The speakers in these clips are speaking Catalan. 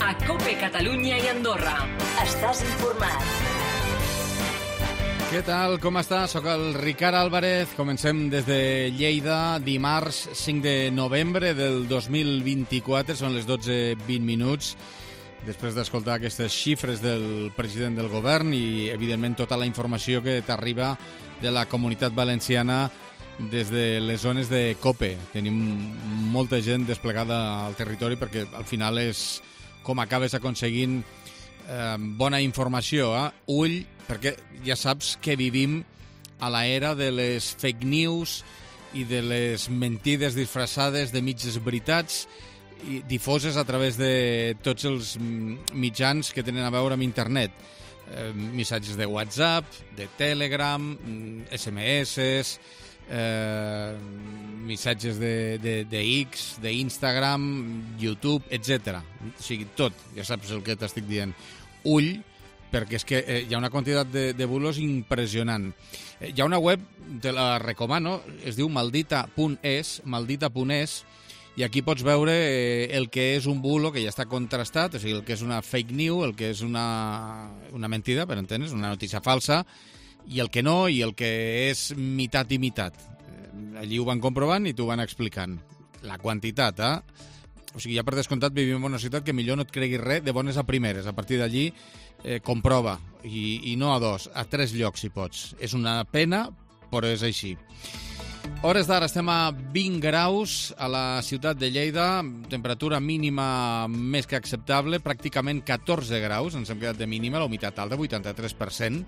A COPE Catalunya i Andorra. Estàs informat. Què tal? Com està? Soc el Ricard Álvarez. Comencem des de Lleida, dimarts 5 de novembre del 2024. Són les 12:20 minuts. Després d'escoltar aquestes xifres del president del govern i, evidentment, tota la informació que t'arriba de la Comunitat Valenciana des de les zones de COPE. Tenim molta gent desplegada al territori perquè al final és com acabes aconseguint bona informació. Ull, perquè ja saps que vivim a l'era de les fake news i de les mentides disfressades de mitges veritats i difoses a través de tots els mitjans que tenen a veure amb internet. Missatges de WhatsApp, de Telegram, SMS, missatges de X, d'Instagram, YouTube, etc. O sigui, tot, ja saps el que t'estic dient. Ull, perquè és que hi ha una quantitat de bulos impressionant. Hi ha una web, te la recomano, es diu maldita.es, i aquí pots veure el que és un bulo que ja està contrastat, o sigui, el que és una fake news, el que és una mentida, per entendre's, una notícia falsa, i el que no, i el que és mitat i mitat. Allí ho van comprovant i t'ho van explicant. La quantitat, O sigui, ja per descomptat vivim en una ciutat que millor no et creguis res de bones a primeres. A partir d'allí, comprova, i no a dos, a 3 llocs si pots. És una pena, però és així. Hores d'ara estem a 20 graus a la ciutat de Lleida, temperatura mínima més que acceptable, pràcticament 14 graus, ens hem quedat de mínima, la humitat alta, 83%,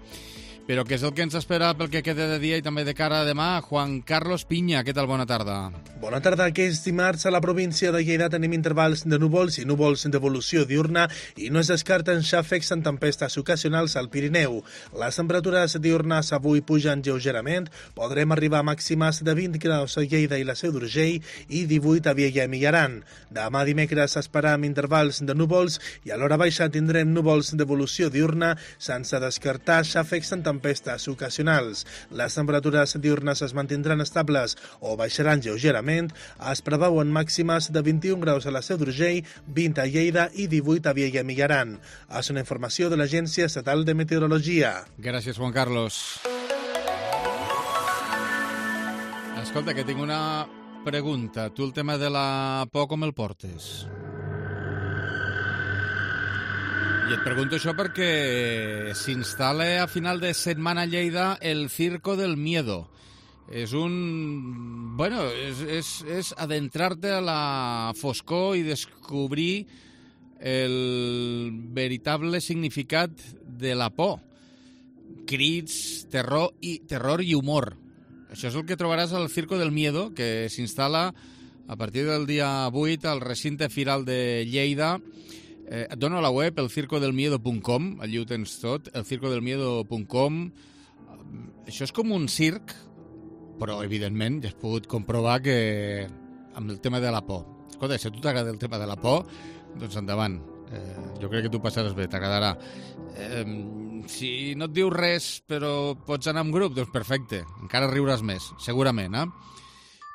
però què és el que ens espera pel que queda de dia i també de cara a demà? Juan Carlos Piña, què tal? Bona tarda. Bona tarda. Aquest dimarts a la província de Lleida tenim intervals de núvols i núvols d'evolució diurna i no es descarten xàfecs en tempestes ocasionals al Pirineu. Les temperatures diurnes avui pugen lleugerament, podrem arribar a màximes de 20 graus a Lleida i la Seu d'Urgell i 18 a Viella i Millaran. Demà dimecres esperam intervals de núvols i a l'hora baixa tindrem núvols d'evolució diurna sense descartar xàfecs en tempestes ocasionals. Les temperatures diurnes es mantindran estables o baixaran lleugerament. Es preveuen màximes de 21 graus a la Seu d'Urgell, 20 a Lleida i 18 a Viella i Millaran. És una informació de l'Agència Estatal de Meteorologia. Gràcies, Juan Carlos. Escolta, que tinc una pregunta. Tu el tema de la por com el portes? I et pregunto això perquè s'instal·la a final de setmana a Lleida el Circo del Miedo. És és adentrar-te a la foscor i descobrir el veritable significat de la por. Crits, terror i humor. Això és el que trobaràs al Circo del Miedo, que s'instal·la a partir del dia 8 al recinte firal de Lleida. Et dono la web, elcircodelmiedo.com, allí ho tens tot, elcircodelmiedo.com. Això és com un circ, però, evidentment, ja has pogut comprovar que amb el tema de la por. Escolta, si a tu t'agrada el tema de la por, doncs endavant. Jo crec que tu passaràs bé, t'agradarà. Si no et diu res, però pots anar en grup, doncs perfecte, encara riuràs més, segurament,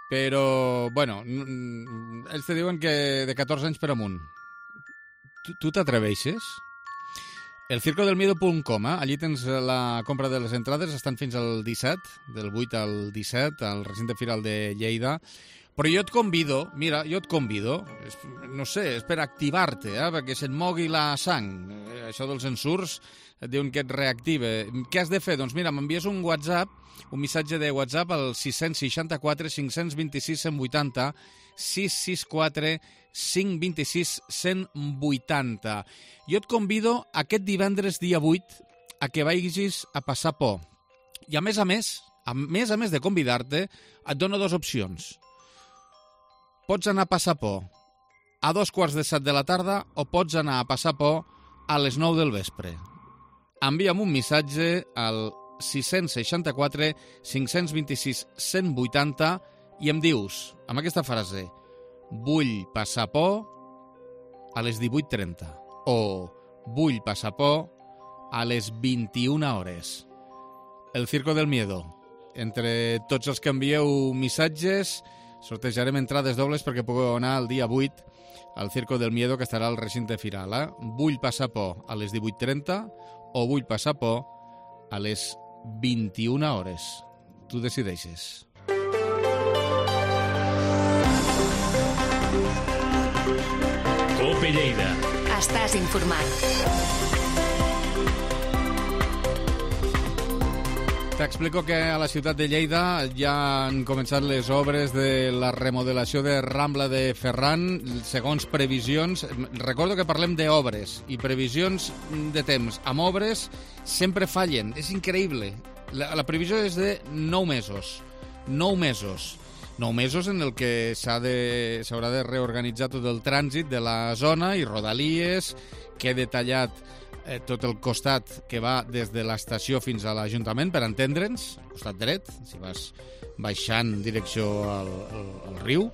Però, bueno, ells te diuen que de 14 anys per amunt. Tu t'atreveixes? Elcircodelmiedo.com, allí tens la compra de les entrades, estan fins al 17, del 8 al 17, al recinte firal de Lleida. Però jo et convido, no sé, és per activar-te, perquè se't mogui la sang. Això dels ensurts et diuen que et reactive. Què has de fer? Doncs mira, m'envies un WhatsApp, un missatge de WhatsApp al 664 526 180, 664 526 180. Jo et convido aquest divendres dia 8 a que vagis a passar por. I a més a més de convidar-te, et dono 2 opcions. Pots anar a passar por a 2:15 de la tarda o pots anar a passar por a les 9 del vespre. Envia'm un missatge al 664 526 180 i em dius, amb aquesta frase, vull passar por a les 18:30 o vull passar por a les 21 hores. El Circo del Miedo. Entre tots els que envieu missatges sortejarem entrades dobles perquè pugueu anar el dia 8 al Circo del Miedo, que estarà al recinte firal. Vull passar por a les 18:30 o vull passar por a les 21 hores. Tu decideixes. COPE Lleida. Estàs informat. T'explico que a la ciutat de Lleida ja han començat les obres de la remodelació de Rambla de Ferran, segons previsions. Recordo que parlem d'obres i previsions de temps. Amb obres sempre fallen, és increïble. La previsió és de 9 mesos. 9 mesos. 9 mesos en el que s'haurà de reorganitzar tot el trànsit de la zona i rodalies, que he detallat tot el costat que va des de l'estació fins a l'Ajuntament, per entendre'ns, al costat dret, si vas baixant en direcció al riu,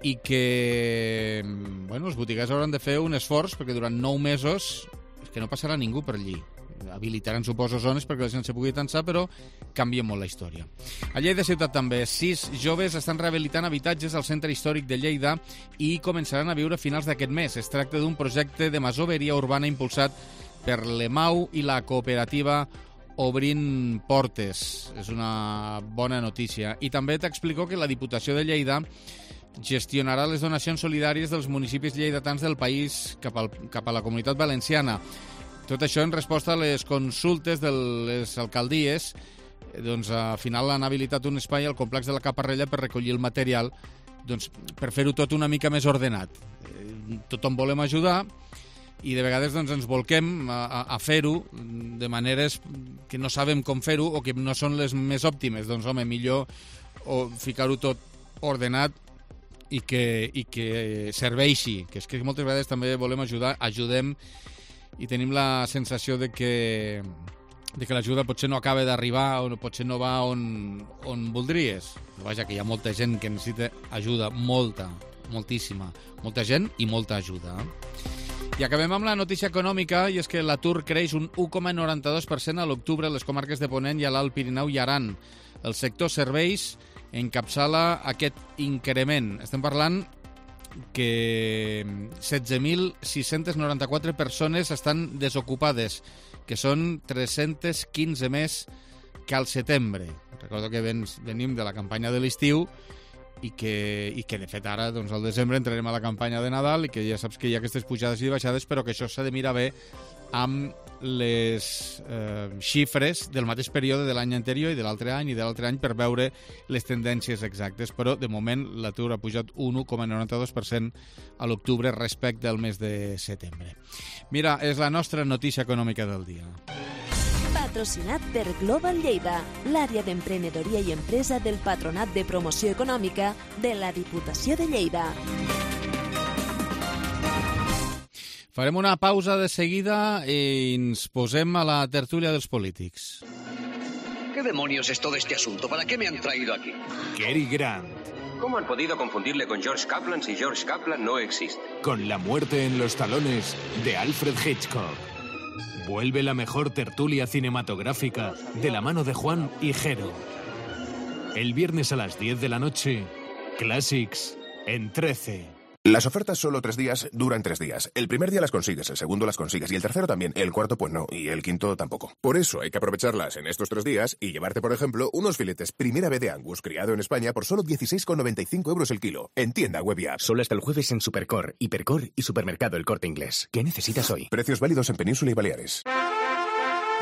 i que els botiguers hauran de fer un esforç perquè durant 9 mesos és que no passarà ningú per allí. Habilitaran, suposo, zones perquè la gent se pugui tensar, però canvia molt la història. A Lleida ciutat també, 6 joves estan rehabilitant habitatges al centre històric de Lleida i començaran a viure a finals d'aquest mes. Es tracta d'un projecte de masoveria urbana impulsat per l'EMAU i la cooperativa Obrint Portes. És una bona notícia. I també t'explico que la Diputació de Lleida gestionarà les donacions solidàries dels municipis lleidatans del país cap a la Comunitat Valenciana. Tot això en resposta a les consultes de les alcaldies. Doncs al final han habilitat un espai al complex de la Caparrella per recollir el material, doncs, per fer-ho tot una mica més ordenat. Tothom volem ajudar i de vegades doncs, ens volquem a fer-ho de maneres que no sabem com fer-ho o que no són les més òptimes. Doncs home, millor ficar-ho tot ordenat i que serveixi, que és que moltes vegades també volem ajudar, ajudem i tenim la sensació de que l'ajuda potser no acaba d'arribar o potser no va on voldries. Però vaja, que hi ha molta gent que necessita ajuda, moltíssima. Molta gent i molta ajuda. I acabem amb la notícia econòmica, i és que l'atur creix un 1,92% a l'octubre a les comarques de Ponent i a l'Alt Pirineu i Aran. El sector serveis encapçala aquest increment. Estem parlant que 16.694 persones estan desocupades, que són 315 més que al setembre. Recordo que venim de la campanya de l'estiu i que de fet ara, doncs, al desembre entrarem a la campanya de Nadal i que ja saps que hi ha aquestes pujades i baixades, però que això s'ha de mirar bé amb les xifres del mateix període de l'any anterior i de l'altre any i de l'altre any per veure les tendències exactes, però de moment l'atur ha pujat un 1,92% a l'octubre respecte al mes de setembre. Mira, és la nostra notícia econòmica del dia. Patrocinat per Global Lleida, l'àrea d'emprenedoria i empresa del Patronat de Promoció Econòmica de la Diputació de Lleida. Farem una pausa de seguida i ens posem a la tertúlia dels polítics. ¿Qué demonios es todo este asunto? ¿Para qué me han traído aquí? Cary Grant. ¿Cómo han podido confundirle con George Kaplan si George Kaplan no existe? Con La muerte en los talones de Alfred Hitchcock. Vuelve la mejor tertulia cinematográfica de la mano de Juan y Jero. El viernes a las 10 de la noche, Classics en 13. Las ofertas solo 3 días duran 3 días. El primer día las consigues, el segundo las consigues y el tercero también. El cuarto pues no, y el quinto tampoco. Por eso hay que aprovecharlas en estos 3 días y llevarte, por ejemplo, unos filetes Primera B de Angus criado en España por solo 16,95 € el kilo. En tienda web y app. Solo hasta el jueves en Supercor, Hipercor y Supermercado El Corte Inglés. ¿Qué necesitas hoy? Precios válidos en Península y Baleares.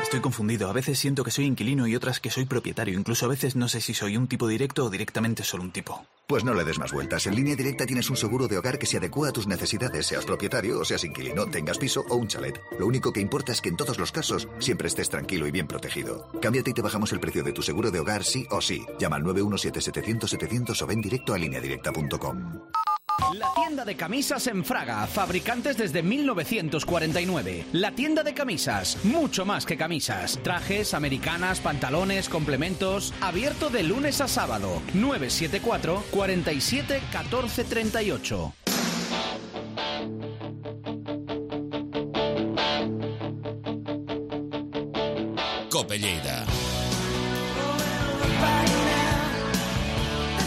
Estoy confundido. A veces siento que soy inquilino y otras que soy propietario. Incluso a veces no sé si soy un tipo directo o directamente solo un tipo. Pues no le des más vueltas. En Línea Directa tienes un seguro de hogar que se adecua a tus necesidades, seas propietario o seas inquilino, tengas piso o un chalet. Lo único que importa es que en todos los casos siempre estés tranquilo y bien protegido. Cámbiate y te bajamos el precio de tu seguro de hogar sí o sí. Llama al 917-700-700 o ven directo a lineadirecta.com. La tienda de camisas en Fraga, fabricantes desde 1949. La tienda de camisas, mucho más que camisas. Trajes, americanas, pantalones, complementos. Abierto de lunes a sábado. 974 47 14 38. COPE Lleida.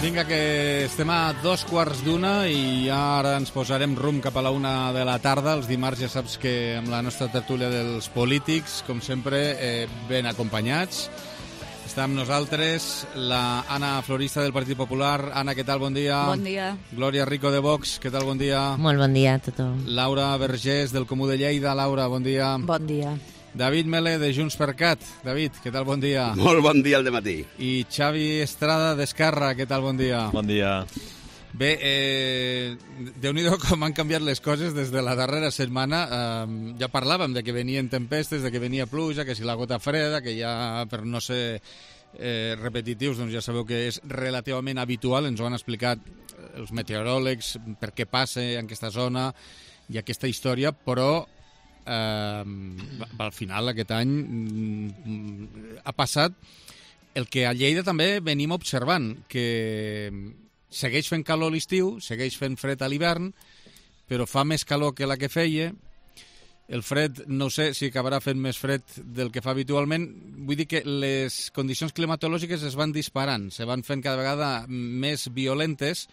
Vinga, que estem a 2:15 i ara ens posarem rumb cap a la 1 de la tarda. Els dimarts ja saps que amb la nostra tertúlia dels polítics, com sempre, ben acompanyats. Està amb nosaltres la Anna Florista del Partit Popular. Anna, què tal? Bon dia. Bon dia. Glòria Rico de Vox, què tal? Bon dia. Molt bon dia a tothom. Laura Vergés del Comú de Lleida. Laura, bon dia. Bon dia. David Mele, de Junts per Cat. David, què tal? Bon dia. Molt bon dia al dematí. I Xavi Estrada, d'Esquerra. Què tal? Bon dia. Bon dia. Bé, Déu-n'hi-do com han canviat les coses des de la darrera setmana. Ja parlàvem de que venien tempestes, de que venia pluja, que si la gota freda, que ja, per no ser repetitius, doncs ja sabeu que és relativament habitual. Ens ho han explicat els meteoròlegs, per què passa en aquesta zona i aquesta història, però al final aquest any ha passat el que a Lleida també venim observant, que segueix fent calor a l'estiu, segueix fent fred a l'hivern, però fa més calor que la que feia. El fred, no sé si acabarà fent més fred del que fa habitualment. Vull dir que les condicions climatològiques es van disparant, se van fent cada vegada més violentes.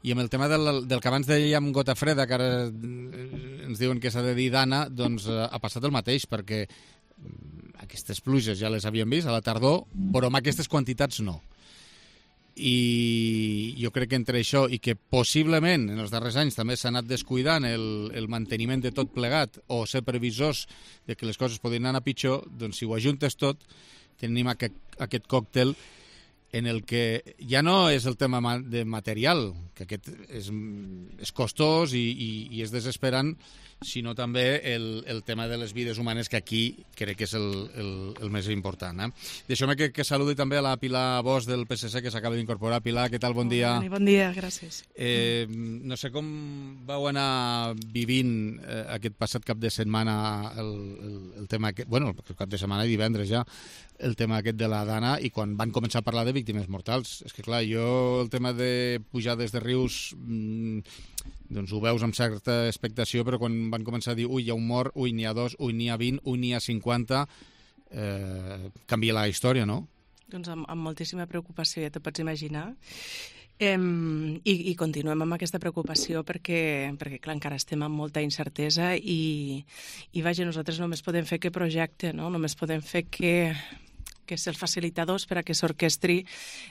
I amb el tema del que abans dèiem gota freda, que ara ens diuen que s'ha de dir dana, doncs ha passat el mateix, perquè aquestes pluges ja les havíem vist a la tardor, però amb aquestes quantitats no. I jo crec que entre això i que possiblement en els darrers anys també s'ha anat descuidant el manteniment de tot plegat o ser previsors de que les coses podrien anar pitjor, doncs si ho ajuntes tot tenim aquest còctel en el que ja no és el tema de material, que aquest és costós i és desesperant, sinó també el tema de les vides humanes, que aquí crec que és el més important. Deixeu-me que saludi també a la Pilar Bosch del PSC, que s'acaba d'incorporar. Pilar, què tal? Bon dia. Bon dia, gràcies. No sé com vau anar vivint aquest passat cap de setmana el tema aquest, bueno, el cap de setmana i divendres ja, el tema aquest de la dana, i quan van començar a parlar de víctimes mortals. És que clar, jo el tema de pujades de rius doncs ho veus amb certa expectació, però quan van començar a dir ui, hi ha un mort, ui, n'hi ha 2, ui, n'hi ha 20, ui, n'hi ha 50, canvia la història, no? Doncs amb moltíssima preocupació, ja t'ho pots imaginar. I continuem amb aquesta preocupació perquè clar, encara estem amb molta incertesa i vaja, nosaltres només podem fer que projecte, no? Només podem fer que ser els facilitadors per a que s'orquestri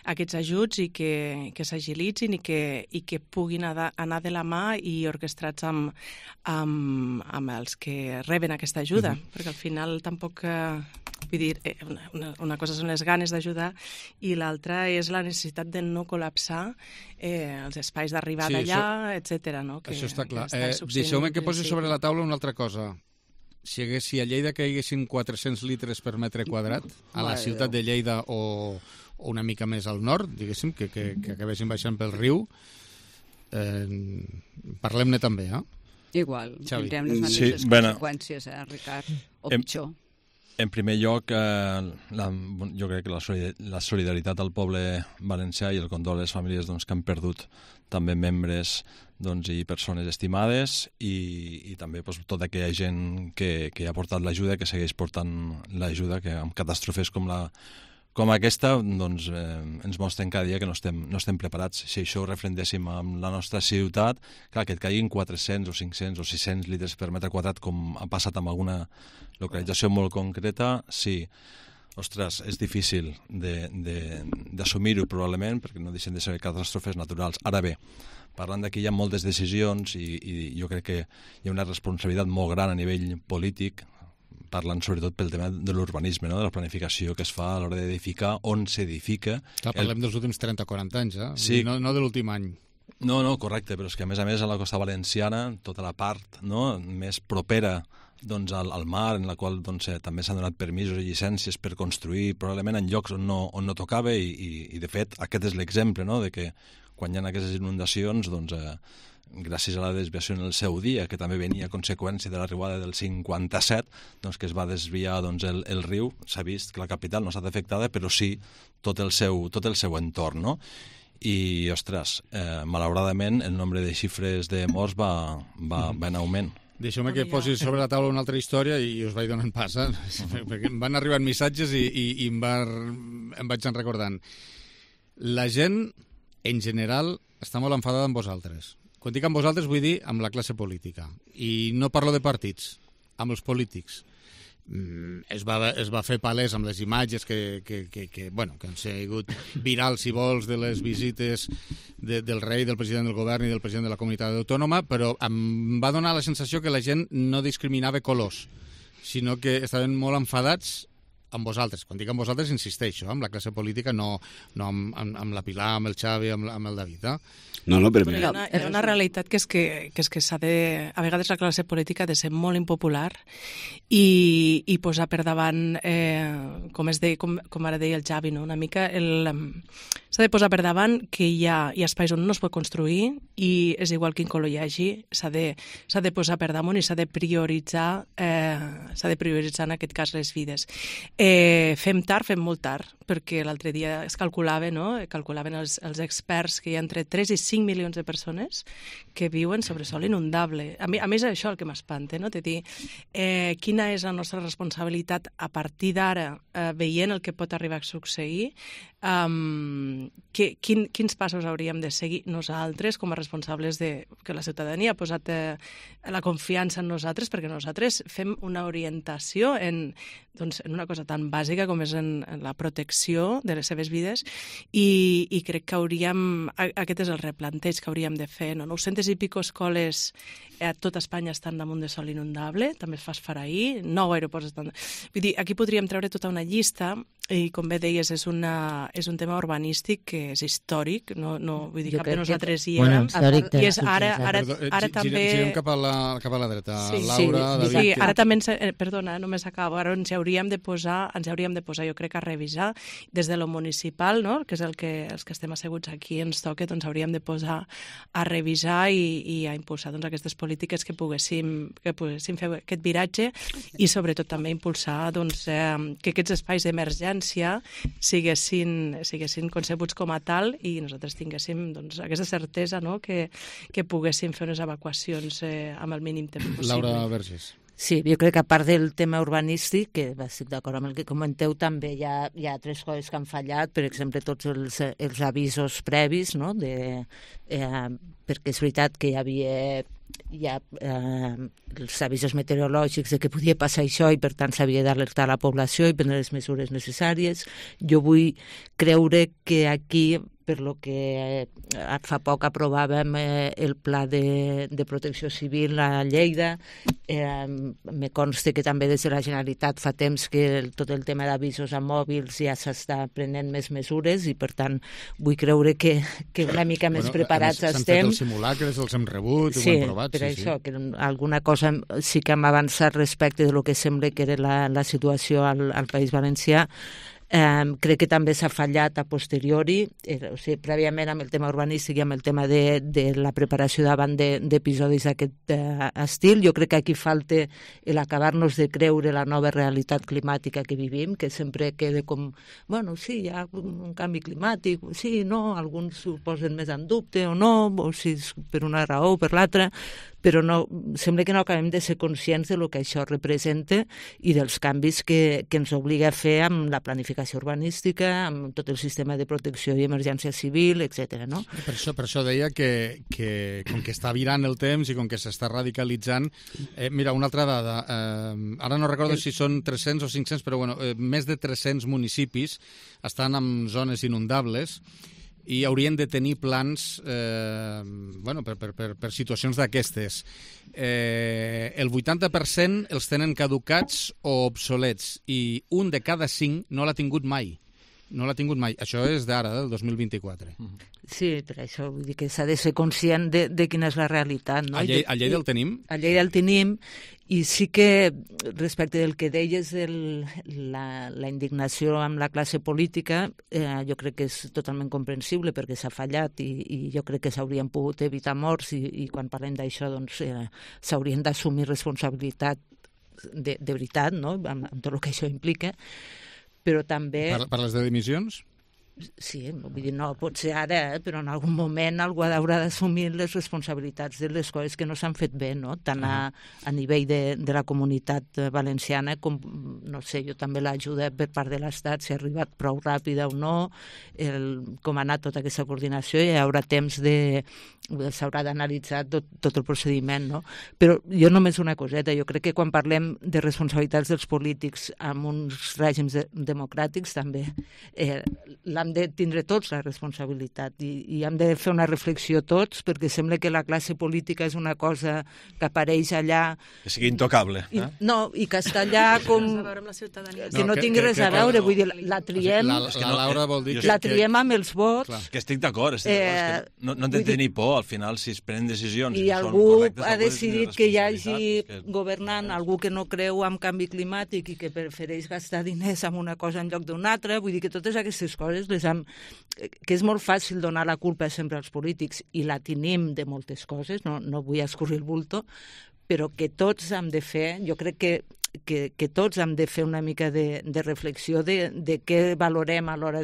aquests ajuts i que s'agilitzin i que puguin anar de la mà i orquestrats amb els que reben aquesta ajuda, perquè al final tampoc... Vull dir, una cosa són les ganes d'ajudar i l'altra és la necessitat de no col·lapsar els espais d'arribada allà, etc. No? Això està clar. Deixeu-me que posi sobre la taula una altra cosa. Si a Lleida caiguessin 400 litres per metre quadrat, a la ciutat de Lleida o una mica més al nord, diguéssim, que acabessin baixant pel riu, parlem-ne també, Igual, tindrem les mateixes conseqüències, Ricard, o pitjor. En primer lloc, jo crec que la solidaritat al poble valencià i el condol a les famílies que han perdut també membres i persones estimades i també tota aquella gent que ha portat l'ajuda, que segueix portant l'ajuda, que amb catàstrofes com aquesta ens mostren cada dia que no estem preparats. Si això ho refrendéssim amb la nostra ciutat, clar, que et caiguin 400 o 500 o 600 litres per metre quadrat, com ha passat amb alguna localització molt concreta, sí. Ostres, és difícil d'assumir-ho probablement, perquè no deixen de ser catàstrofes naturals. Ara bé, parlant d'aquí hi ha moltes decisions i jo crec que hi ha una responsabilitat molt gran a nivell polític, parlant sobretot pel tema de l'urbanisme, no? De la planificació que es fa a l'hora d'edificar, on s'edifica. Parlem dels últims 30 o 40 anys, Sí. No de l'últim any. No, correcte, però és que a més a la costa valenciana, tota la part més propera al mar, en la qual també s'han donat permisos i llicències per construir, probablement en llocs on no tocava, i de fet aquest és l'exemple, no? De que quan hi ha aquestes inundacions, gràcies a la desviació en el seu dia, que també venia a conseqüència de l'arribada del 57, que es va desviar el riu, s'ha vist que la capital no ha estat afectada, però sí tot el seu entorn, no? I, ostres, malauradament el nombre de xifres de morts va en augment. Deixeu-me que posi sobre la taula una altra història i us vaig donant pas, perquè em van arribant missatges i em vaig recordant. La gent en general, està molt enfadada amb vosaltres. Quan dic amb vosaltres vull dir amb la classe política. I no parlo de partits, amb els polítics. Es va fer palès amb les imatges que han sigut virals, si vols, de les visites del rei, del president del govern i del president de la comunitat autònoma, però em va donar la sensació que la gent no discriminava colors, sinó que estaven molt enfadats amb vosaltres. Quan dic amb vosaltres, insisteixo, amb la classe política, no amb la Pilar, amb el Xavi, amb el David. No, però hi ha una realitat que és que s'ha de... A vegades la classe política ha de ser molt impopular i posar per davant, com ara deia el Xavi, no? Una mica s'ha de posar per davant que hi ha espais on no es pot construir i és igual quin color hi hagi, s'ha de posar per damunt i s'ha de prioritzar en aquest cas les vides. Fem tard, fem molt tard, perquè l'altre dia es calculava, no? Calculaven els experts que hi ha entre 3 i 5 milions de persones que viuen sobre sòl inundable. A més, això el que m'espanta, no? De dir, quina és la nostra responsabilitat a partir d'ara, veient el que pot arribar a succeir, quins passos hauríem de seguir nosaltres com a responsables que la ciutadania ha posat la confiança en nosaltres, perquè nosaltres fem una orientació en una cosa tan bàsica com és en la protecció de les seves vides i crec que aquest és el replanteig que hauríem de fer. 900 i pico escoles a tot Espanya estan damunt de sòl inundable, també es fa esfarair, 9 aeroports estan... Vull dir, aquí podríem treure tota una llista i, com bé deies, és un tema urbanístic que és històric, no vull dir, cap de nosaltres hi érem, i és ara també... Girem cap a la dreta, Laura, David... Sí, ara també, perdona, només acabo, ara ens hauríem de posar, jo crec, a revisar des de lo municipal, no?, que és els que estem asseguts aquí, ens toca, doncs hauríem de posar a revisar i a impulsar aquestes polítiques que poguéssim fer aquest viratge i sobretot també impulsar que aquests espais d'emergència siguessin concebuts com a tal i nosaltres tinguéssim aquesta certesa, no?, que poguéssim fer unes evacuacions amb el mínim temps possible. Laura Vergés. Sí, jo crec que a part del tema urbanístic, que estic d'acord amb el que comenteu, també hi ha altres coses que han fallat, per exemple, tots els avisos previs, no?, perquè és veritat que hi havia els avisos meteorològics de que podia passar això i per tant s'havia d'alertar la població i prendre les mesures necessàries. Jo vull creure que aquí, per lo que fa poc aprovàvem el pla de protecció civil a Lleida, me consta que també des de la Generalitat fa temps que tot el tema d'avisos a mòbils ja s'està prenent més mesures i per tant vull creure que una mica més preparats estem. S'han fet els simulacres, els hem rebut, ho hem provat. Sí, per això, que alguna cosa sí que hem avançat respecte de lo que sembla que era la situació al País Valencià. Crec que també s'ha fallat a posteriori, o sigui, prèviament amb el tema urbanístic i amb el tema de la preparació davant d'episodis d'aquest estil. Jo crec que aquí falta l'acabar-nos de creure la nova realitat climàtica que vivim, que sempre queda com, bueno, sí, hi ha un canvi climàtic, sí, no, alguns ho posen més en dubte o no, o si és per una raó o per l'altra, però no, sembla que no acabem de ser conscients del que això representa i dels canvis que ens obliga a fer amb la planificació urbanística, amb tot el sistema de protecció i emergència civil, etc. No? Per això deia que com que està virant el temps i com que s'està radicalitzant... mira, una altra dada. Ara no recordo si són 300 o 500, però bueno, més de 300 municipis estan en zones inundables i haurien de tenir plans per situacions d'aquestes. El 80% els tenen caducats o obsolets i un de cada 5 no l'ha tingut mai. Això és d'ara, del 2024. Sí, per això vull dir que s'ha de ser conscient de quina és la realitat. No? A Lleida el tenim? A Lleida el tenim, i sí que respecte del que deies de la indignació amb la classe política, jo crec que és totalment comprensible perquè s'ha fallat i jo crec que s'haurien pogut evitar morts i quan parlem d'això doncs s'haurien d'assumir responsabilitat de veritat, no? Amb tot el que això implica, però també... Parles de dimissions? Sí, vull dir, no pot ser ara, però en algun moment algú haurà d'assumir les responsabilitats de les coses que no s'han fet bé, no? Tant a nivell de la comunitat valenciana com, no sé, jo també l'ajuda per part de l'Estat, si ha arribat prou ràpida o no, com ha anat tota aquesta coordinació, i hi haurà temps s'haurà d'analitzar tot el procediment, no? Però jo només una coseta, jo crec que quan parlem de responsabilitats dels polítics en uns règims democràtics també l'hem de tindre tots la responsabilitat i hem de fer una reflexió tots, perquè sembla que la classe política és una cosa que apareix allà... Que sigui intocable. No, i que està allà com... Que no tingui res a veure, vull dir, la triem... La Laura vol dir... La triem amb els vots... Que estic d'acord, no hem de tenir por, al final, si es prenen decisions... I algú ha decidit que hi hagi governant algú que no creu en canvi climàtic i que prefereix gastar diners en una cosa en lloc d'una altra, vull dir que totes aquestes coses que és molt fàcil donar la culpa sempre als polítics i la tenim de moltes coses, no vull escurrir el bulto, però que tots hem de fer, jo crec que tots hem de fer una mica de reflexió de què valorem a l'hora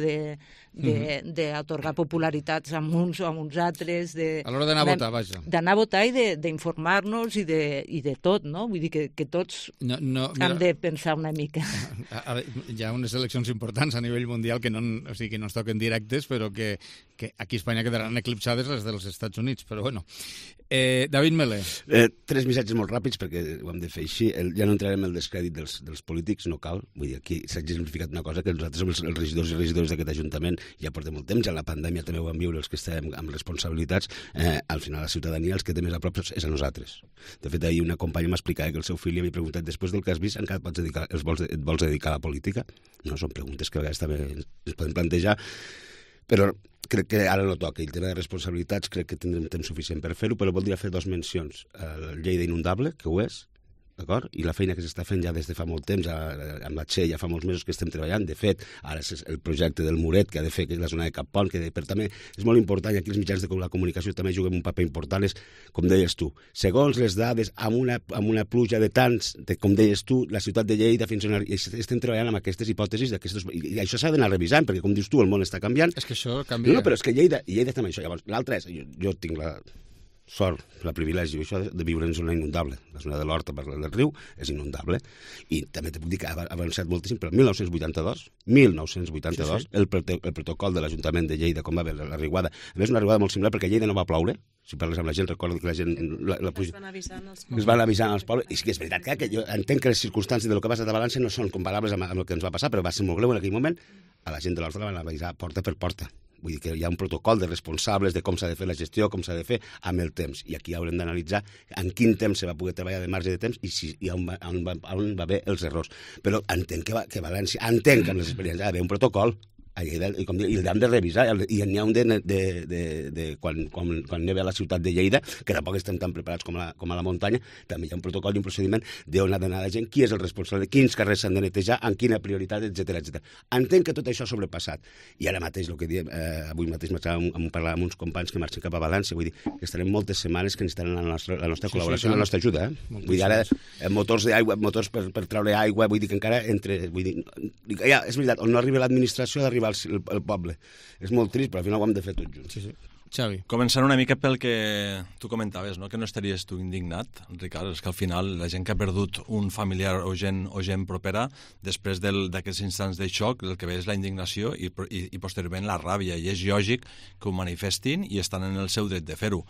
d'atorgar popularitats a uns o a uns altres. A l'hora d'anar a votar, vaja. D'anar a votar i d'informar-nos i de tot, no? Vull dir que tots hem de pensar una mica. Hi ha unes eleccions importants a nivell mundial que no ens toquen directes, però que aquí a Espanya quedaran eclipsades les dels Estats Units, però bueno. David Melé. 3 missatges molt ràpids, perquè ho hem de fer així. Ja no entrarem en el descrèdit dels polítics, no cal. Vull dir, aquí s'ha exemplificat una cosa, que nosaltres som els regidors i regidores d'aquest Ajuntament, ja portem molt temps, ja la pandèmia també ho vam viure els que estàvem amb responsabilitats. Al final la ciutadania, els que té més a prop és a nosaltres. De fet, ahir una companya m'explicava que el seu fill li havia preguntat, després del que has vist, encara et vols dedicar a la política? No, són preguntes que a vegades també ens podem plantejar, però crec que ara no toca. El tema de responsabilitats crec que tindrem temps suficient per fer-ho, però voldria fer 2 mencions. El Lleida Inundable, que ho és, d'acord? I la feina que s'està fent ja des de fa molt temps, amb la Txe ja fa molts mesos que estem treballant. De fet, ara és el projecte del Muret, que ha de fer la zona de Cap Pont, que també és molt important, i aquí els mitjans de la comunicació també juguen un paper important, és, com deies tu, segons les dades, amb una pluja de tants, com deies tu, la ciutat de Lleida, estem treballant amb aquestes hipòtesis, i això s'ha d'anar revisant, perquè, com dius tu, el món està canviant. És que això canvia. No, però és que Lleida està amb això. Llavors, l'altre és, jo tinc la sort, la privilegi, això de viure en zona inundable. La zona de l'Horta per del riu és inundable. I també te puc dir que ha avançat moltíssim, però el 1982, el protocol de l'Ajuntament de Lleida, com va haver la riuada, a més una riuada molt similar, perquè a Lleida no va ploure. Si parles amb la gent, recordo que la gent... Es van avisant als pobles. I sí que és veritat que jo entenc que les circumstàncies del que ha passat a València no són comparables amb el que ens va passar, però va ser molt greu en aquell moment. A la gent de l'Horta la van avisar porta per porta. Vull dir que hi ha un protocol de responsables de com s'ha de fer la gestió, com s'ha de fer amb el temps. I aquí haurem d'analitzar en quin temps se va poder treballar de marge de temps i on va haver els errors. Però entenc que València, entenc que amb les experiències ha d'haver un protocol, i l'hem de revisar, i n'hi ha un quan neva a la ciutat de Lleida, que tampoc estem tan preparats com a la muntanya, també hi ha un protocol i un procediment d'on ha d'anar la gent, qui és el responsable, quins carrers s'han de netejar, en quina prioritat, etc. Entenc que tot això ha sobrepassat. I ara mateix, el que diem, avui mateix m'estava parlant amb uns companys que marxen cap a València, vull dir que estarem moltes setmanes que necessitaran la nostra col·laboració, la nostra ajuda. Vull dir, ara, motors d'aigua, motors per treure aigua, vull dir que encara és veritat, on no arriba l'administració, d'arribar el poble. És molt trist, però al final ho hem de fer tots junts. Sí. Xavi. Començant una mica pel que tu comentaves, no? Que no estaries tu indignat, Ricard, és que al final la gent que ha perdut un familiar o gent propera, després d'aquests instants de xoc, el que ve és la indignació i posteriorment la ràbia, i és lògic que ho manifestin i estan en el seu dret de fer-ho.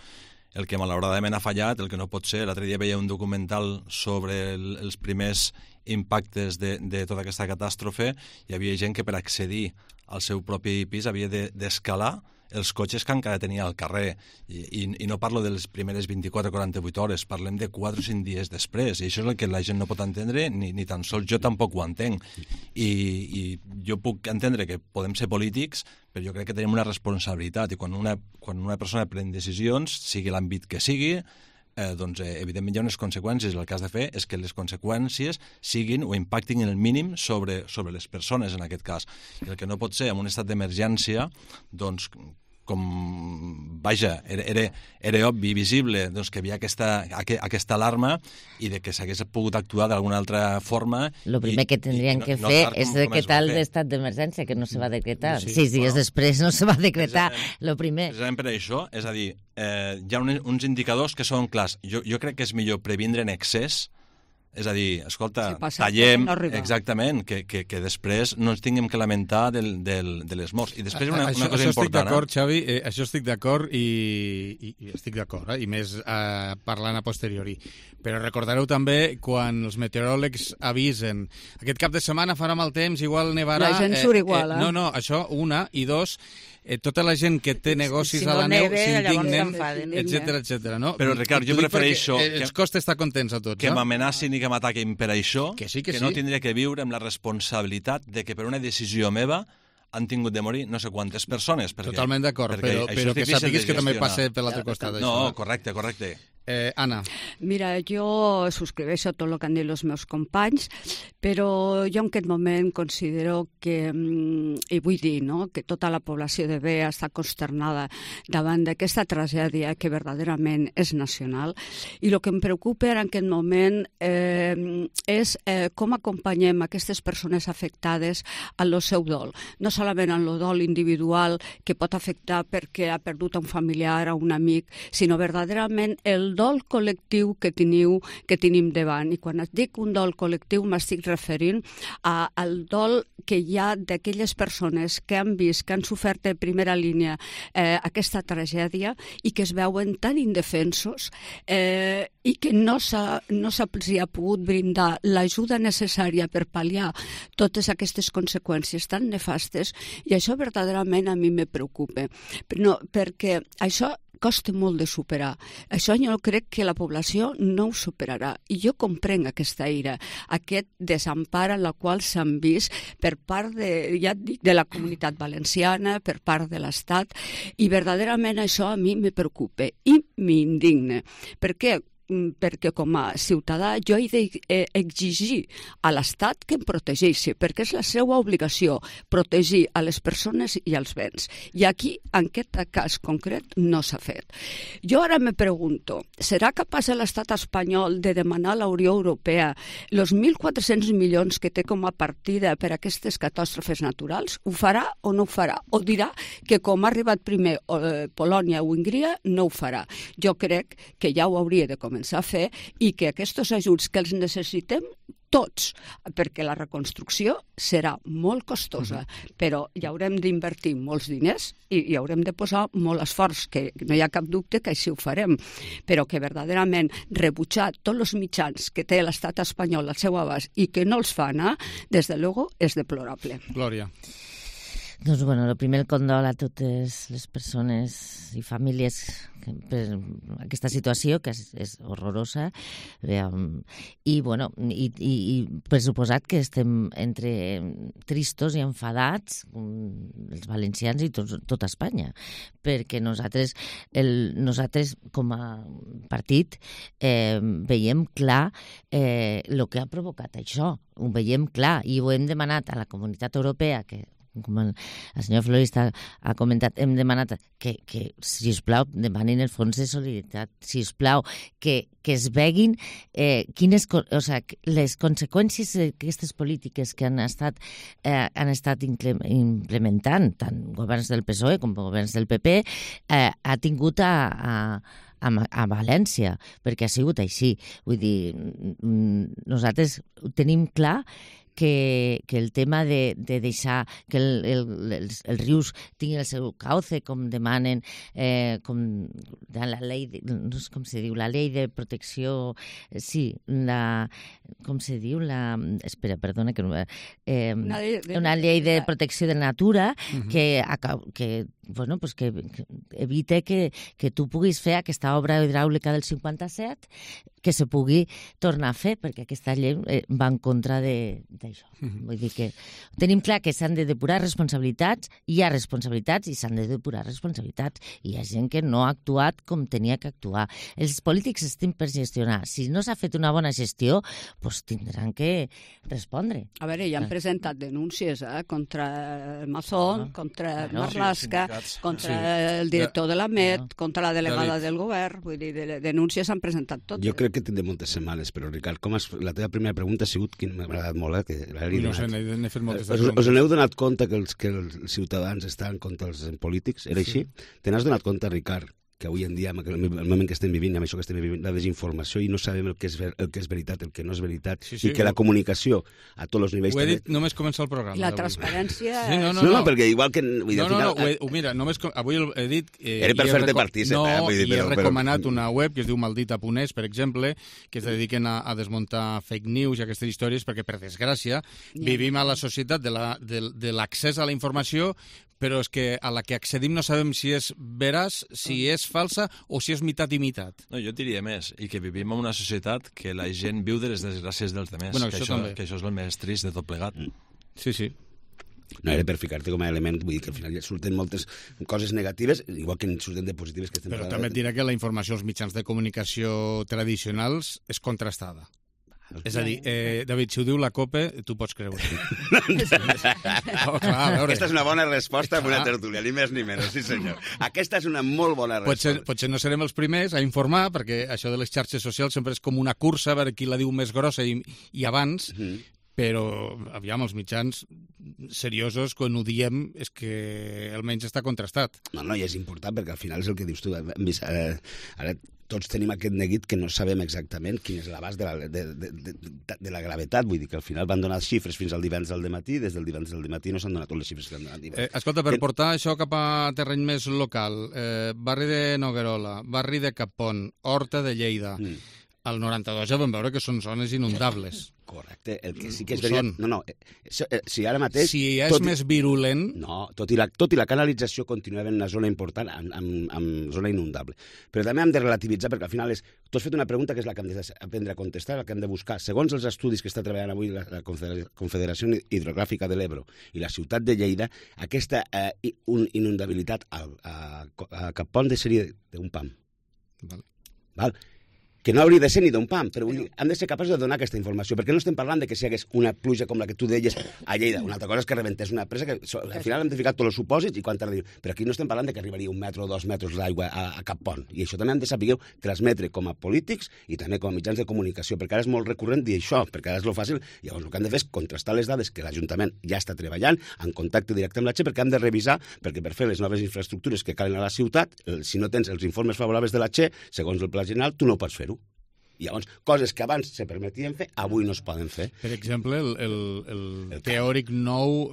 El que malauradament ha fallat, el que no pot ser, l'altre dia veia un documental sobre els primers impactes de tota aquesta catàstrofe, hi havia gent que per accedir al seu propi pis havia d'escalar els cotxes que encara tenia al carrer. I no parlo de les primeres 24 o 48 hores, parlem de 4 o 5 dies després, i això és el que la gent no pot entendre, ni tan sols jo tampoc ho entenc. I jo puc entendre que podem ser polítics, però jo crec que tenim una responsabilitat, i quan una persona pren decisions, sigui l'àmbit que sigui, doncs evidentment hi ha unes conseqüències. El que has de fer és que les conseqüències siguin o impactin en el mínim sobre les persones, en aquest cas. I el que no pot ser en un estat d'emergència, doncs, vaja, era obvi, visible, doncs, que hi havia aquesta alarma i de que s'hagués pogut actuar d'alguna altra forma. Lo primer que tindrien que fer és decretar l'estat d'emergència, que no se va decretar. 6 dies després no se va decretar, lo primer. Precisament per això, és a dir, hi ha uns indicadors que són clars. Jo crec que és millor previndre en excés. És a dir, escolta, tallem, exactament, que després no ens tinguem que lamentar de les morts. I després una cosa important... Això estic d'acord, Xavi, això estic d'acord i estic d'acord, i més parlant a posteriori. Però recordareu també quan els meteoròlegs avisen aquest cap de setmana farà mal temps, igual nevarà... La gent surt igual, eh? No, això, una, i dos... tota la gent que té negocis a la neu s'indignen, etcètera, no? Però, Ricard, jo prefereixo... Ens costa estar contents a tots, que m'amenacin i que m'ataquen per això, que no tindré que viure amb la responsabilitat de que per una decisió meva han tingut de morir no sé quantes persones. Totalment d'acord, però que sàpigues que també passa per l'altre costat. No, correcte. Anna. Mira, jo subscriveixo tot el que han dit els meus companys, però jo en aquest moment considero que, i vull dir, no?, que tota la població de Bé està consternada davant d'aquesta tragèdia que verdaderament és nacional, i el que em preocupa en aquest moment és com acompanyem aquestes persones afectades en el seu dol. No solament en el dol individual que pot afectar perquè ha perdut un familiar o un amic, sinó verdaderament el dol col·lectiu que tenim davant. I quan et dic un dol col·lectiu m'estic referint al dol que hi ha d'aquelles persones que han vist, que han sofert de primera línia aquesta tragèdia i que es veuen tan indefensos i que no se'ls ha pogut brindar l'ajuda necessària per pal·liar totes aquestes conseqüències tan nefastes, i això verdaderament a mi me preocupa. Perquè això costa molt de superar. Això jo crec que la població no ho superarà. I jo comprenc aquesta ira, aquest desempar en la qual s'han vist per part de la comunitat valenciana, per part de l'Estat, i verdaderament això a mi me preocupa i m'indigna. Per què? Perquè com a ciutadà jo he d'exigir a l'Estat que em protegeixi, perquè és la seva obligació protegir a les persones i als béns. I aquí, en aquest cas concret, no s'ha fet. Jo ara me pregunto, serà capaç l'Estat espanyol de demanar a la Unió Europea els 1.400 milions que té com a partida per a aquestes catàstrofes naturals? Ho farà o no ho farà? O dirà que com ha arribat primer Polònia o Hongria, no ho farà? Jo crec que ja ho hauria de començar a fer i que aquests ajuts que els necessitem tots, perquè la reconstrucció serà molt costosa, però hi haurem d'invertir molts diners i hi haurem de posar molt esforç, que no hi ha cap dubte que així ho farem, però que verdaderament rebutjar tots els mitjans que té l'estat espanyol al seu abast i que no els fa anar, des de luego, és deplorable. Glòria. Doncs, bueno, el primer condol a totes les persones i famílies per aquesta situació, que és horrorosa, i, bueno, i per suposat que estem entre tristos i enfadats, els valencians i tota Espanya, perquè nosaltres com a partit veiem clar el que ha provocat això, ho veiem clar, i ho hem demanat a la Comunitat Europea, que com el senyor Florista ha comentat, hem demanat que sisplau, demanin el fons de solidaritat, sisplau, que es veguin les conseqüències d'aquestes polítiques que han estat implementant, tant governs del PSOE com governs del PP, ha tingut a València, perquè ha sigut així. Vull dir, nosaltres ho tenim clar que el tema de deixar que els rius tinguin el seu cauce, com demanen, com la llei, no sé com se diu, la llei de protecció, sí, com se diu, espera, perdona, una llei de protecció de la natura que bueno, pues que evite que tu puguis fer aquesta obra hidràulica del 57, que se pugui tornar a fer, perquè aquesta llei va en contra de això. Vull dir que tenim clar que s'han de depurar responsabilitats, hi ha responsabilitats i s'han de depurar responsabilitats. I hi ha gent que no ha actuat com tenia que actuar. Els polítics estem per gestionar. Si no s'ha fet una bona gestió, doncs tindran que respondre. A veure, ja han presentat denúncies contra el Mazón, contra Marlaska, contra el director de la Met, contra la delegada del govern. Vull dir, denúncies s'han presentat totes. Jo crec que tindré moltes setmanes, però Ricard, la teva primera pregunta ha sigut, que m'ha agradat molt, que no sé, n'he fet moltes us n'heu donat compte que els ciutadans estan contra els polítics? Era així? Te n'has donat compte, Ricard, que avui en dia, el moment que estem vivint, amb això que estem vivint, la desinformació, i no sabem el que és veritat, el que no és veritat, i que la comunicació a tots els nivells... Ho he dit només començar el programa. I la transparència... No, perquè igual que... Mira, només avui he dit... Era per fer-te partícip. I he recomanat una web que es diu Maldita.es, per exemple, que es dediquen a desmuntar fake news i aquestes històries, perquè, per desgràcia, vivim a la societat de l'accés a la informació, però és que a la que accedim no sabem si és veraç, si és falsa o si és mitat i mitat. No, jo diria més, i que vivim en una societat que la gent viu de les desgràcies dels altres, bueno, que això és el més trist de tot plegat. Sí. No era per ficar-te com a element, vull dir que al final ja surten moltes coses negatives, igual que surten de positives. Però també et diré que la informació als mitjans de comunicació tradicionals és contrastada. És a dir, David, si ho diu la COPE, tu pots creure. Aquesta és una bona resposta a una tertúlia, ni més ni menys, sí senyor. Aquesta és una molt bona resposta. Potser no serem els primers a informar, perquè això de les xarxes socials sempre és com una cursa a veure qui la diu més grossa i abans, però, aviam, els mitjans seriosos, quan ho diem, és que almenys està contrastat. No, i és important, perquè al final és el que dius tu. Ara tots tenim aquest neguit que no sabem exactament quin és l'abast de la gravetat. Vull dir que al final van donar xifres fins al divendres del dematí, des del divendres del dematí no s'han donat totes les xifres que han donat. Escolta, per portar això cap a terreny més local, barri de Noguerola, barri de Capon, Horta de Lleida, al 92 ja vam veure que són zones inundables. Correcte, el que sí que és veritat... No, si ara mateix... Si és més virulent... No, tot i la canalització continua havent una zona important, amb zona inundable. Però també hem de relativitzar, perquè al final tu has fet una pregunta que és la que hem d'aprendre a contestar, la que hem de buscar. Segons els estudis que està treballant avui la Confederació Hidrogràfica de l'Ebro i la ciutat de Lleida, aquesta inundabilitat a Capon seria d'un pam. Val? Que no hauria de ser ni d'un pam, però hem de ser capaços de donar aquesta informació, perquè no estem parlant de que si hi hagués una pluja com la que tu deies a Lleida. Una altra cosa és que rebentés una presa, que al final hem de ficar tots els supòsits i quant tarda. Però aquí no estem parlant de que arribaria 1 metre o 2 metres d'aigua a cap pont. I això també hem de saber transmetre com a polítics i també com a mitjans de comunicació, perquè ara és molt recurrent dir això, perquè ara és lo fàcil. Llavors el que hem de fer és contrastar les dades que l'Ajuntament ja està treballant en contacte directe amb la Che, perquè hem de revisar, perquè per fer les noves infraestructures que calen a la ciutat, si no tens els informes favorables de la Che, segons el Pla General, tu no pots fer-ho. I llavors, coses que abans se permetien fer, avui no es poden fer. Per exemple, el teòric nou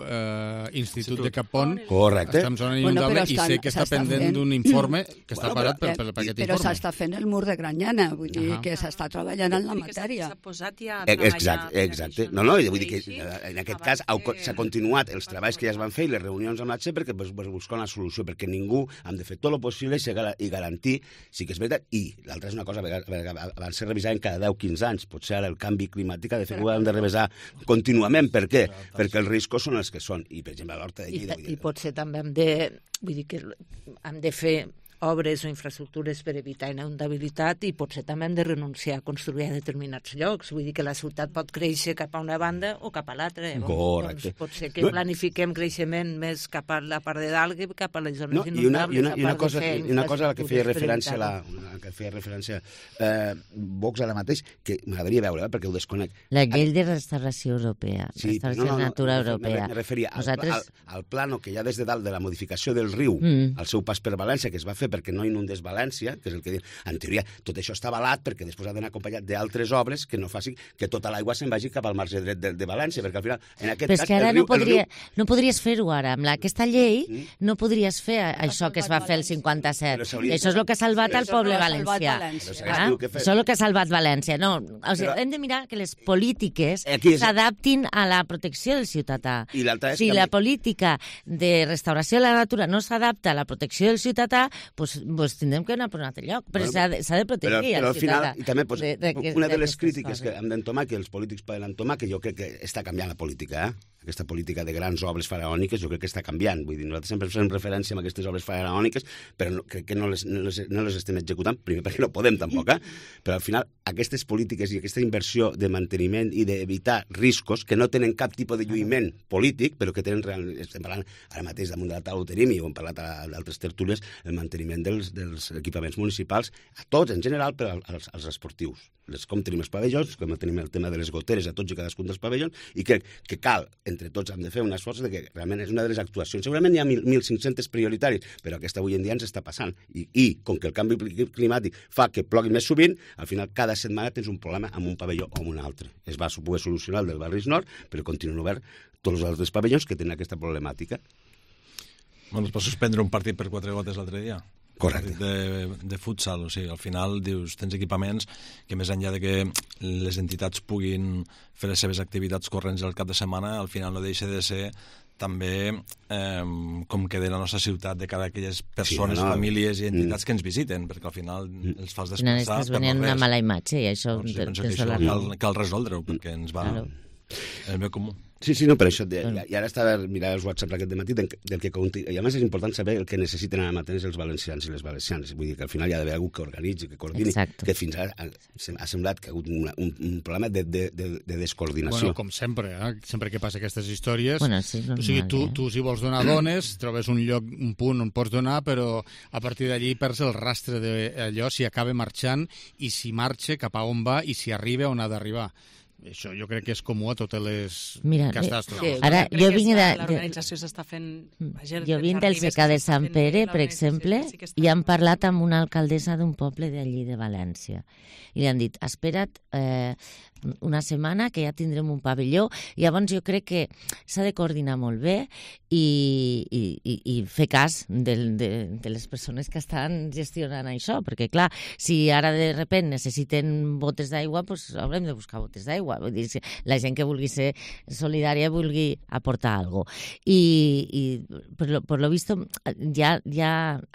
Institut de Capon està en zona inundable i sé que està pendent d'un informe que està parat per aquest informe. Però s'està fent el mur de Granyana, vull dir que s'està treballant en la matèria. S'ha posat ja a treballar. Exacte. No, vull dir que en aquest cas s'ha continuat els treballs que ja es van fer i les reunions amb la Che perquè buscar una solució, perquè ningú hem de fer tot el possible i garantir, sí que és veritat, i l'altra és una cosa, abans se revisar cada 10-15 anys. Potser ara el canvi climàtic ha de fer que ho hem de revisar contínuament. Per què? Perquè els riscos són els que són. I, per exemple, a l'Horta de Lleida... I potser també hem de fer obres o infraestructures per evitar inundabilitat i potser també hem de renunciar a construir a determinats llocs. Vull dir que la ciutat pot créixer cap a una banda o cap a l'altra. Correcte. Doncs potser que planifiquem creixement més cap a la part de dalt que cap a les zones inundables. I una cosa a la que feia referència Vox ara mateix, que m'agradaria veure, perquè ho desconec. La llei de restauració europea, restauració natura europea. Me referia al plano que hi ha des de dalt de la modificació del riu, al seu pas per València, que es va fer perquè no inundés València, que és el que diuen. En teoria, tot això està avalat perquè després ha d'anar acompanyat d'altres obres que no facin que tota l'aigua se'n vagi cap al marge dret de València, perquè al final, en aquest cas... Però és que ara no podries fer-ho ara. Amb aquesta llei no podries fer això que es va fer el 57. Això és el que ha salvat el poble valencià. Això és el que ha salvat València. No, hem de mirar que les polítiques s'adaptin a la protecció del ciutadà. Si la política de restauració de la natura no s'adapta a la protecció del ciutadà, pues tindrem que anar per un altre lloc, però s'ha de protegir. Però al final, i també una de les crítiques que hem d'entomar, que els polítics poden entomar, que jo crec que està canviant la política, aquesta política de grans obres faraòniques, jo crec que està canviant. Vull dir, nosaltres sempre fem referència a aquestes obres faraòniques, però crec que no les estem executant, primer perquè no podem tampoc, però al final aquestes polítiques i aquesta inversió de manteniment i d'evitar riscos que no tenen cap tipus de lluïment polític, però que tenen estem parlant ara mateix damunt de la taula ho tenim i ho hem parlat a d'altres tertúlies, el manteniment dels equipaments municipals, a tots en general, però als esportius. Com tenim els pavellons, com tenim el tema de les goteres a tots i cadascun dels pavellons, i crec que cal, entre tots, hem de fer un esforç de que realment és una de les actuacions. Segurament hi ha 1.500 prioritaris, però aquesta avui en dia ens està passant. I com que el canvi climàtic fa que plogui més sovint, al final cada setmana tens un problema amb un pavelló o amb un altre. Es va poder solucionar el del Barris Nord, però continuen obert tots els altres pavellons que tenen aquesta problemàtica. Bueno, es va suspendre un partit per 4 gotes l'altre dia. Correcte. De futsal, o sigui, al final dius, tens equipaments que més enllà de que les entitats puguin fer les seves activitats corrents al cap de setmana, al final no deixa de ser també com queda la nostra ciutat de cara a aquelles persones, famílies i entitats que ens visiten, perquè al final els fas descansar per no res. Una mala imatge i això... Doncs penso que això cal resoldre-ho, perquè ens va el bé comú. Sí, no, per això. I ara estava mirant els WhatsApp aquest dematí del que i a més és important saber el que necessiten ara mateix els valencians i les valencianes. Vull dir que al final hi ha d'haver algú que organitzi, que coordini, que fins ara ha semblat que ha hagut un problema de descoordinació. Bueno, com sempre, sempre que passa aquestes històries, o sigui, tu si vols donar dones, trobes un lloc, un punt on pots donar, però a partir d'allí perds el rastre d'allò, si acaba marxant i si marxa, cap a on va i si arriba on ha d'arribar. Això jo crec que és comú a totes les catàstrofes. Ara, jo vinc l'organització s'està fent... Jo vinc del secà de Sant Pere, per exemple, i han parlat amb una alcaldessa d'un poble d'allí de València. I li han dit, espera't una setmana que ja tindrem un pavelló. Llavors jo crec que s'ha de coordinar molt bé i fer cas de les persones que estan gestionant això, perquè clar, si ara de sobte necessiten botes d'aigua, doncs haurem de buscar botes d'aigua. Vull dir, la gent que vulgui ser solidària vulgui aportar alguna cosa. I per lo visto ja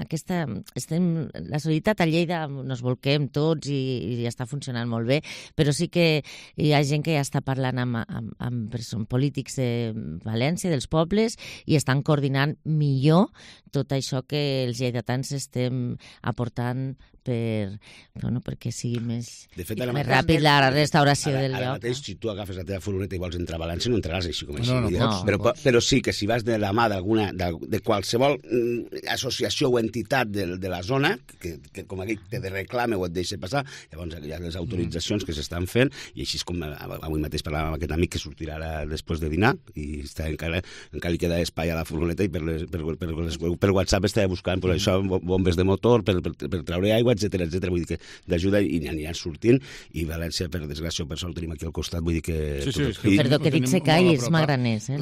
aquesta... La solidaritat a Lleida nos volquem tots i ja està funcionant molt bé, però sí que hi ha gent que ja està parlant amb polítics de València, dels pobles, i estan coordinant millor tot això que els lleidatans estem aportant perquè sigui més ràpid la restauració del lloc. Ara mateix, si tu agafes la teva furgoneta i vols entrar a València, no entraràs així com així. Però sí que si vas de la mà de qualsevol associació o entitat de la zona, que com aquell te reclama o et deixa passar, llavors hi ha les autoritzacions que s'estan fent, i així és com avui mateix parlàvem amb aquest amic que sortirà ara després de dinar, i encara li queda espai a la furgoneta, i per WhatsApp estava buscant això, bombes de motor, per treure aigua, etcètera. Vull dir que d'ajuda i aniran sortint, i València, per desgràcia o per sort, tenim aquí al costat, vull dir que... Perdó, que dic seca i és magraners, he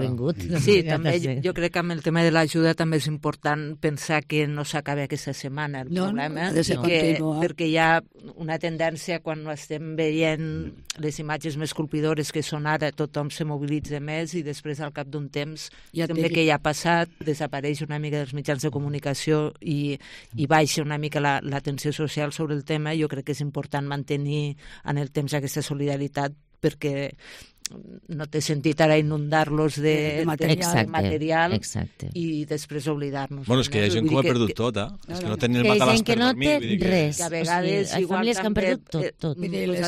vingut. Sí, també jo crec que amb el tema de l'ajuda també és important pensar que no s'acabi aquesta setmana el problema, perquè hi ha una tendència quan estem veient les imatges més colpidores que són ara, tothom se mobilitza més i després al cap d'un temps sembla que ja ha passat, desapareix una mica dels mitjans de comunicació i baixa una mica l'atenció social sobre el tema. Jo crec que és important mantenir en el temps aquesta solidaritat, perquè no té sentit ara inundar-los de material i després oblidar-nos. Bueno, és que hi ha gent que ho ha perdut tot, És que no tenen matalàs per dormir. Que res. A vegades, igual també,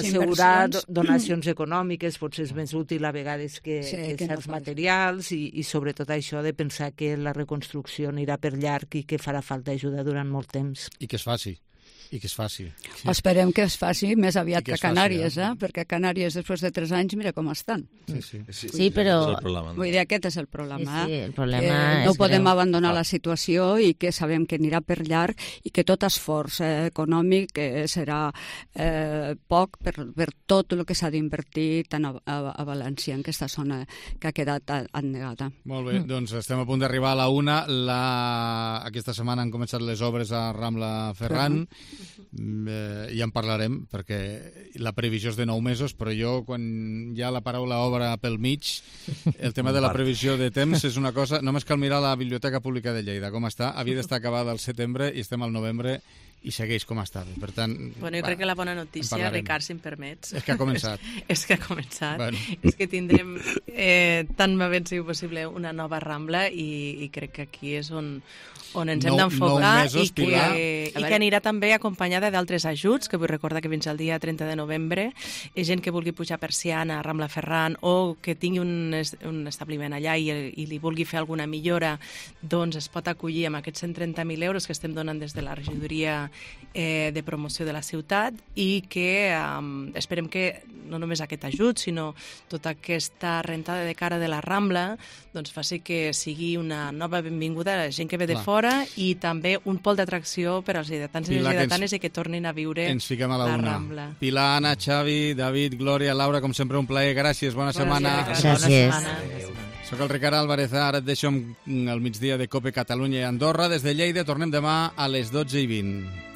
assegurar donacions econòmiques potser és més útil a vegades que certs materials, i sobretot això de pensar que la reconstrucció anirà per llarg i que farà falta ajuda durant molt temps. I que es faci. Esperem que es faci més aviat que a Canàries, perquè a Canàries després de 3 anys mira com estan. Sí, però... Vull dir, aquest és el problema. El problema no podem abandonar la situació i que sabem que anirà per llarg i que tot esforç econòmic serà poc per tot el que s'ha d'invertir tant a València, en aquesta zona que ha quedat annegada. Molt bé, doncs estem a punt d'arribar a la 1. Aquesta setmana han començat les obres a Rambla Ferran, ja en parlarem, perquè la previsió és de 9 mesos, però jo, quan hi ha la paraula obra pel mig, el tema de la previsió de temps és una cosa... Només cal mirar la Biblioteca Pública de Lleida, com està. Havia d'estar acabada al setembre i estem al novembre i segueix com estava. Per tant... Bueno, jo crec que la bona notícia, Ricard, si em permets... És que ha començat. És que ha començat. Bueno. És que tindrem, tan ben sigui possible, una nova Rambla i crec que aquí és on ens hem d'enfocar i que anirà també acompanyada d'altres ajuts, que vull recordar que fins al dia 30 de novembre gent que vulgui pujar persiana a Rambla Ferran o que tingui un establiment allà i li vulgui fer alguna millora, doncs es pot acollir amb aquests 130.000 euros que estem donant des de la regidoria de promoció de la ciutat i que esperem que no només aquest ajut, sinó tota aquesta rentada de cara de la Rambla doncs faci que sigui una nova benvinguda a la gent que ve de fora i també un pol d'atracció per als lleidatans i les lleidatanes i que tornin a viure la Rambla. Pilar, Anna, Xavi, David, Glòria, Laura, com sempre un plaer. Gràcies, bona setmana. Gràcies. Soc el Ricard Álvarez, ara et deixo al migdia de COPE Catalunya i Andorra. Des de Lleida tornem demà a les 12:20.